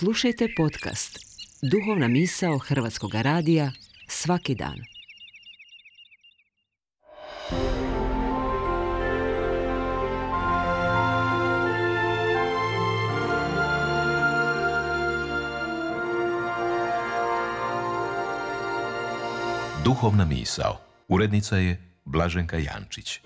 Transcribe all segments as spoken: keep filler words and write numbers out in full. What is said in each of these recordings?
Slušajte podcast Duhovna misao Hrvatskog radija svaki dan. Duhovna misao. Urednica je Blaženka Jančić.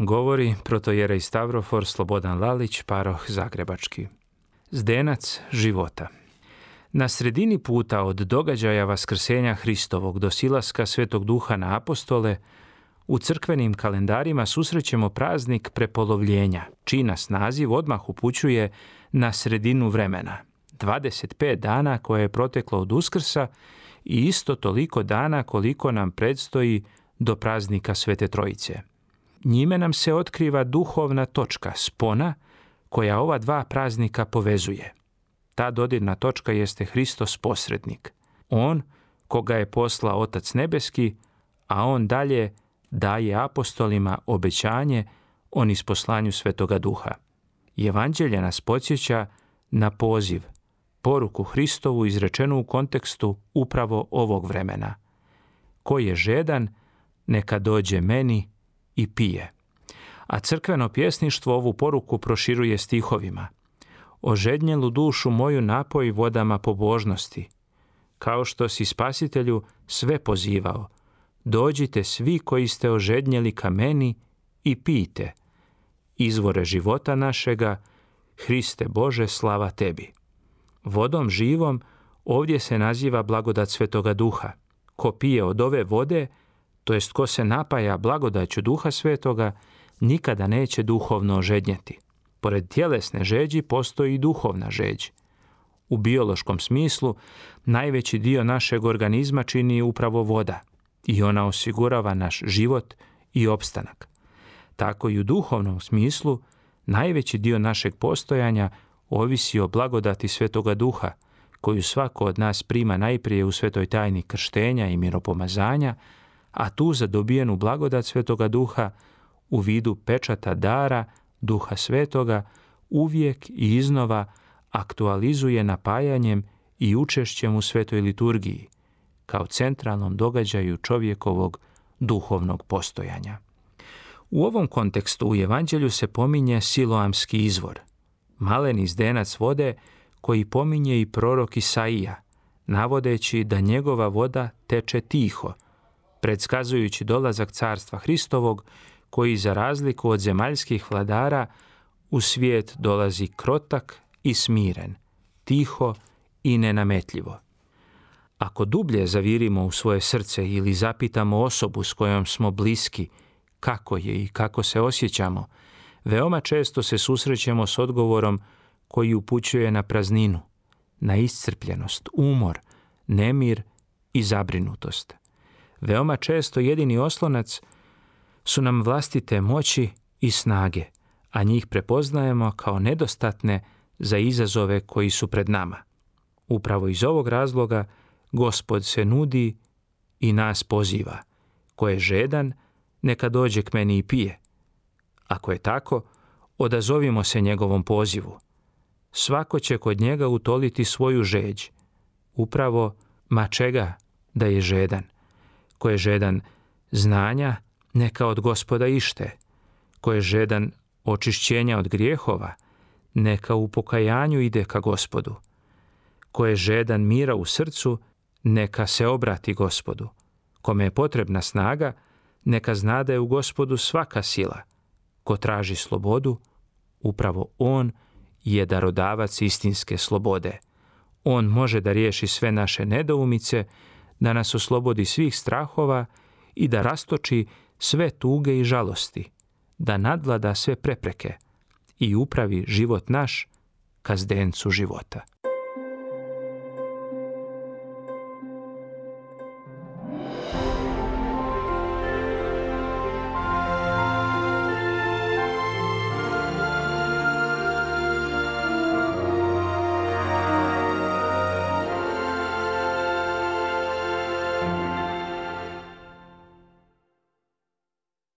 Govori protojerej Stavrofor Slobodan Lalić, paroh Zagrebački. Zdenac života. Na sredini puta od događaja Vaskrsenja Hristovog do silaska Svetog Duha na apostole, u crkvenim kalendarima susrećemo praznik prepolovljenja, čiji nas naziv odmah upućuje na sredinu vremena. dvadeset pet dana koje je proteklo od Uskrsa i isto toliko dana koliko nam predstoji do praznika Svete Trojice. Njime nam se otkriva duhovna točka, spona, koja ova dva praznika povezuje. Ta dodirna točka jeste Hristos posrednik. On, koga je poslao Otac Nebeski, a on dalje daje apostolima obećanje o nisposlanju Svetoga Duha. Evanđelje nas podsjeća na poziv, poruku Hristovu izrečenu u kontekstu upravo ovog vremena. Ko je žedan, neka dođe meni i pije. A crkveno pjesništvo ovu poruku proširuje stihovima. Ožednjelu dušu moju napoj vodama pobožnosti. Kao što si Spasitelju sve pozivao, dođite svi koji ste ožednjeli ka meni i pijte. Izvore života našega, Hriste Bože, slava tebi. Vodom živom ovdje se naziva blagodat Svetoga Duha. Ko pije od ove vode, to jest ko se napaja blagodaću Duha Svetoga, nikada neće duhovno ožednjeti. Pored tjelesne žeđi postoji i duhovna žeđ. U biološkom smislu najveći dio našeg organizma čini upravo voda i ona osigurava naš život i opstanak. Tako i u duhovnom smislu najveći dio našeg postojanja ovisi o blagodati Svetoga Duha, koju svako od nas prima najprije u svetoj tajni krštenja i miropomazanja, a tu zadobijenu blagodat Svetoga Duha u vidu pečata dara Duha Svetoga uvijek i iznova aktualizuje napajanjem i učešćem u svetoj liturgiji, kao centralnom događaju čovjekovog duhovnog postojanja. U ovom kontekstu u Evanđelju se pominje Siloamski izvor, maleni zdenac vode koji pominje i prorok Isaija, navodeći da njegova voda teče tiho, predskazujući dolazak carstva Hristovog, koji za razliku od zemaljskih vladara u svijet dolazi krotak i smiren, tiho i nenametljivo. Ako dublje zavirimo u svoje srce ili zapitamo osobu s kojom smo bliski kako je i kako se osjećamo, veoma često se susrećemo s odgovorom koji upućuje na prazninu, na iscrpljenost, umor, nemir i zabrinutost. Veoma često jedini oslonac su nam vlastite moći i snage, a njih prepoznajemo kao nedostatne za izazove koji su pred nama. Upravo iz ovog razloga Gospod se nudi i nas poziva. Ko je žedan, neka dođe k meni i pije. Ako je tako, odazovimo se njegovom pozivu. Svako će kod njega utoliti svoju žeđ. Upravo, ma čega da je žedan. Ko je žedan znanja, neka od Gospoda ište. Ko je žedan očišćenja od grijehova, neka u pokajanju ide ka Gospodu. Ko je žedan mira u srcu, neka se obrati Gospodu. Kome je potrebna snaga, neka zna da je u Gospodu svaka sila. Ko traži slobodu, upravo on je darodavac istinske slobode. On može da riješi sve naše nedoumice, da nas oslobodi svih strahova i da rastoči sve tuge i žalosti, da nadvlada sve prepreke i upravi život naš ka zdencu života.